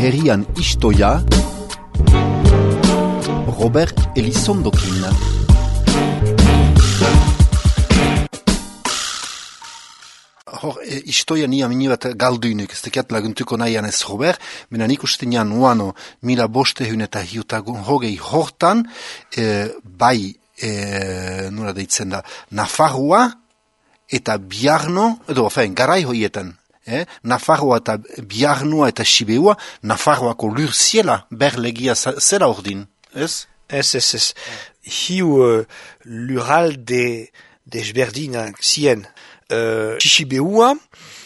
herrian istoia Robert Elizondokin. Hor, istoia ni amini bat galduinik, ez tekiat laguntuko nahian ez Robert, mena nik ustenean uano 1500 eta hogei hortan, nola deitzen da, Nafarroa eta Biarno, garai hoietan, Nafarroa eta Biarnoa eta Sibeua, Nafarroako lur ziela, berlegia zela ordin, ez? Ez. Hiu lurralde desberdinak zien. Sibeua,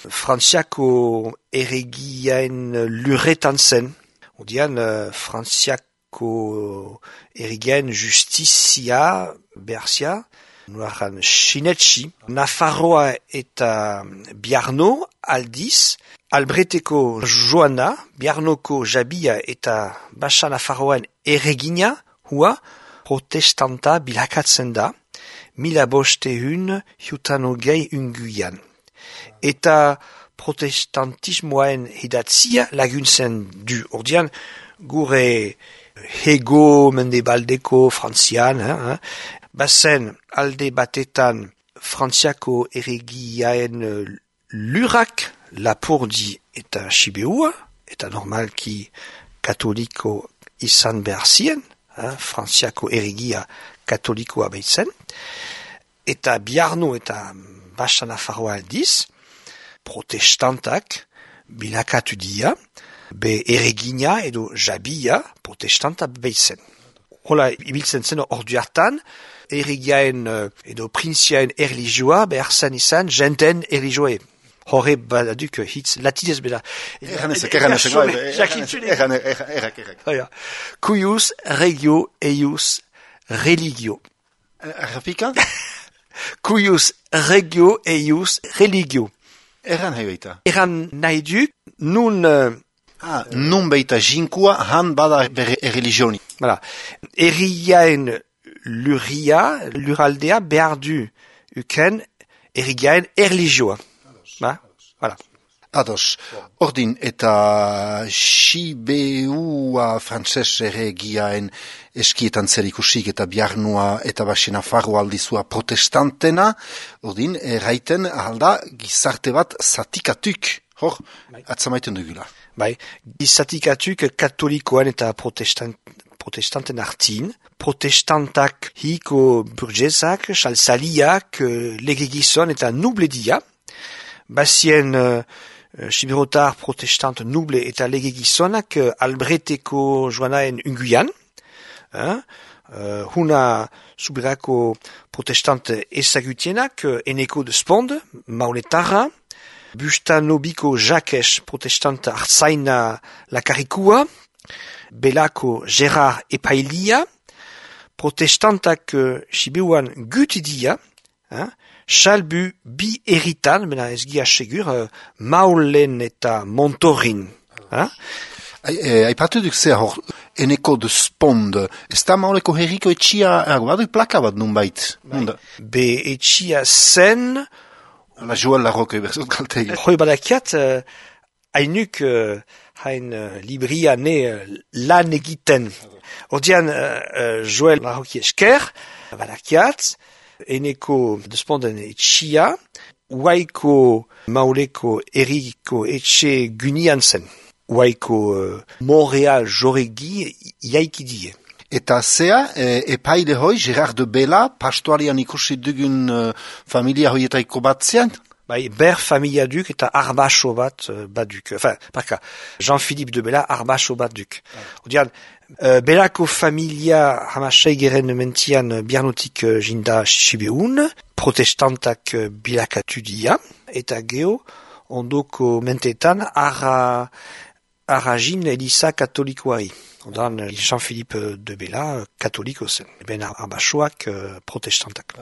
Frantziako erregiaen lurretan zen. Odian, Frantziako erregiaen justizia, berzia, nuaran sinetxi. Nafarroa eta Biarno aldiz, Albreteko Joana, Biarnoko Jabia eta Basa Nafarroan erregina, hua protestanta bilakatzen da, 1500 unguian. Eta protestantismoen hidatzia laguntzen du. Ordian, gure hego mendebaldeko frantzian, bazen alde batetan Frantziako erregiaen lurak, Lapurdi eta Sibeua, eta normalki katoliko izan behar zien, Frantziako erregia katolikoa behitzen, eta Biarno eta Basa Nafarroa aldiz, protestantak bilakatu dia, be erregina edo Jabia protestanta behitzen. Hola, ibiltzen zen ordu hartan, erregiaen edo printziaen erlijioa behar zen izan jenten erlijioe. Horre badaduk hitz latidez beda. Cuius regio eius religio. Errapika? Cuius regio eius religio. Erran nahi baita? Erran nahi duk, nun... nun baita jinkua han bada bere religioni. Voilà. Erriaen luraldea behar du uken erriaen erligioa. Voilà. Ados. Ordin eta Sibeua frantzes erregiaen eskietan zer ikusik eta Biarnoa eta Basa Nafarroa aldizua protestantena, ordin, erraiten alda gizarte bat zatikatuk, hor, atzamaiten dugula. Bai, gizatikatuk katolikoan eta protestanten artin, protestantak hiko burgesak, salsaliak, legegizon eta nubledia, bazien siberotar protestant nuble eta legegizonak Albreteko Joanaen unguian, huna subirako protestant ezagutienak Eneko de Spond, Mauletarra, Bustanobiko Jacques protestant Artzaina Lakarikua, Belako Gerard Epailia, protestantak Sibeuan gutidia, Salbu bi eritan, bena ez gia segur, Maulen eta Montorin. Aipatu duk zer hor, Eneko de Spond, ez da Mauleko herriko etxia, badu plaka bat nun bait. Be etxia zen... La Joël Larroque, berzot kaltegi. Hoi badakiat, hainuk hain libria ne lan egiten. Ordian, Joël Larroque esker, badakiat, Eneko de Sponden etxia, Uaiko Mauleko erriko etxe gunian zen. Uaiko Montreal joregi iaikidie. Eta zea, epaile hoi, Gerard de Bela, pastoarian ikusi dugun familia hoietaiko bat zean? Bai, ber familia duk eta arbaso bat duk. Enfin, parka, Jean-Philippe de Bela arbaso bat duk. Odian, Belako familia hamaseigeren mentian Biarnotik jinda Sibeun, protestantak bilakatu dia, eta geho, ondoko mentetan arrajin Elisa katolikoari. Ondan, Jean-Philippe de Bela katoliko zen. Ben arbasoak protestantak.